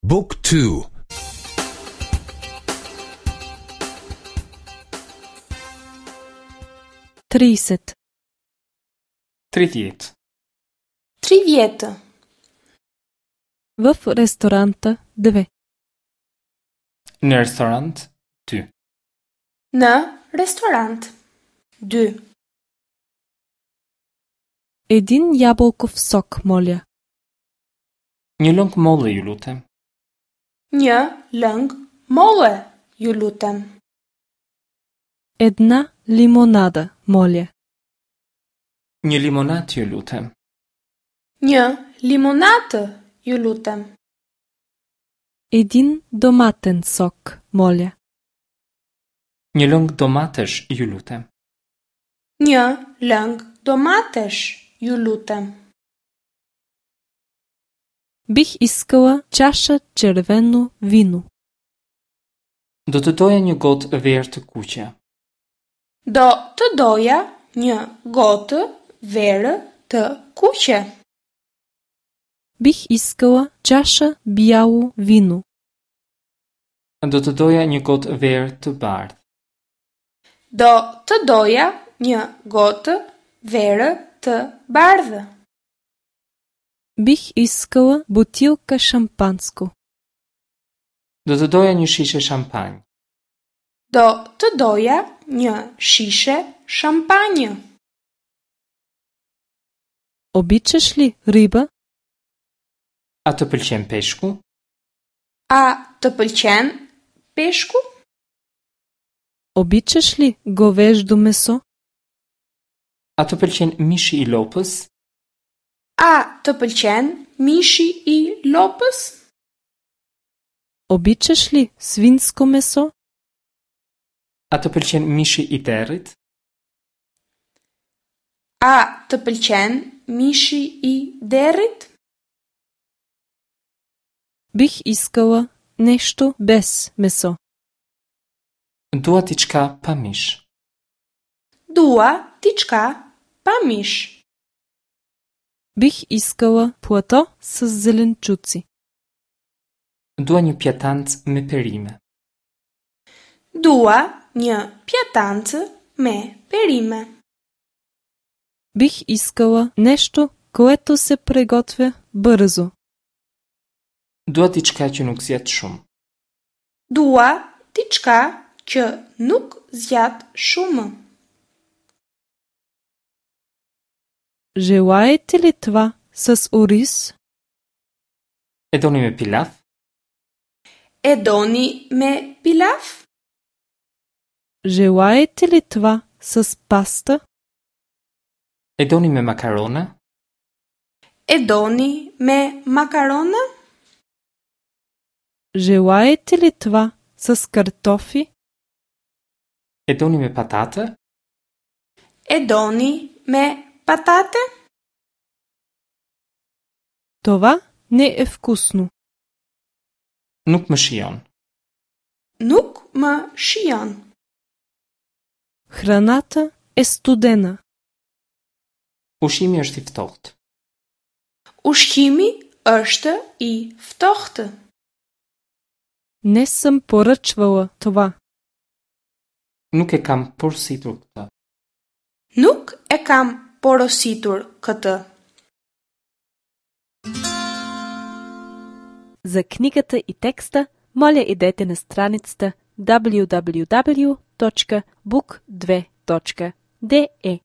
บุ๊กทู 30. 30. 30. В ресторанта 2. Në restorant 2. Në restorant 2. Един ябълков сок, моля. Një lëng molle, ju lutem. Një lëng molle, ju lutem. Една лимонада, моля. Një limonatë, ju lutem. Një limonatë, ju lutem. Един доматен сок, моля. Një lëng domatesh, ju lutem. Një lëng domatesh, ju lutem. Бих искала чаша червено вино. Do të doja një gotë verë të kuqe. Do të doja një gotë verë të kuqe. Бих искала чаша бяло вино. Do të doja një gotë verë të bardhë. Do të doja një gotë verë të bardhë. Бих искала бутилка шампанско. Do të doja një shishe shampanjë. Do të doja një shishe shampanjë. Обичаш ли риба? A të pëlqen peshku? A të pëlqen peshku? Обичаш ли говеждо месо? A të pëlqen mishi i lopës? A të pëlqen mishi i lopës? Обичаш ли свинско месо? A të pëlqen mishi i derrit? A të pëlqen mishi i derrit? Бих искала нещо без месо. Dua diçka pa mish. Dua diçka pa mish. Бих искала плато със зеленчуци. Dua një pjatancë me perime. Dua një pjatancë me perime. Бих искала нещо, което се приготвя бързо. Dua diçka që nuk zgjat shumë. Dua diçka që nuk zgjat shumë. Желаете ли това с ориз? E doni me pilaf? E doni me pilaf? Желаете ли това с паста? E doni me makarona? E doni me makarona? Желаете ли това с картофи? E doni me patate? E doni me patate? Това не е вкусно. Nuk më shijon. Nuk më shijon. Храната е студена. Ushqimi është i ftohtë. Ushqimi është i ftohtë. Не съм поръчвала това. Nuk e kam porositur këtë. Nuk e kam porositur këtë. За книгата и текста, моля идете на страницата www.book2.de.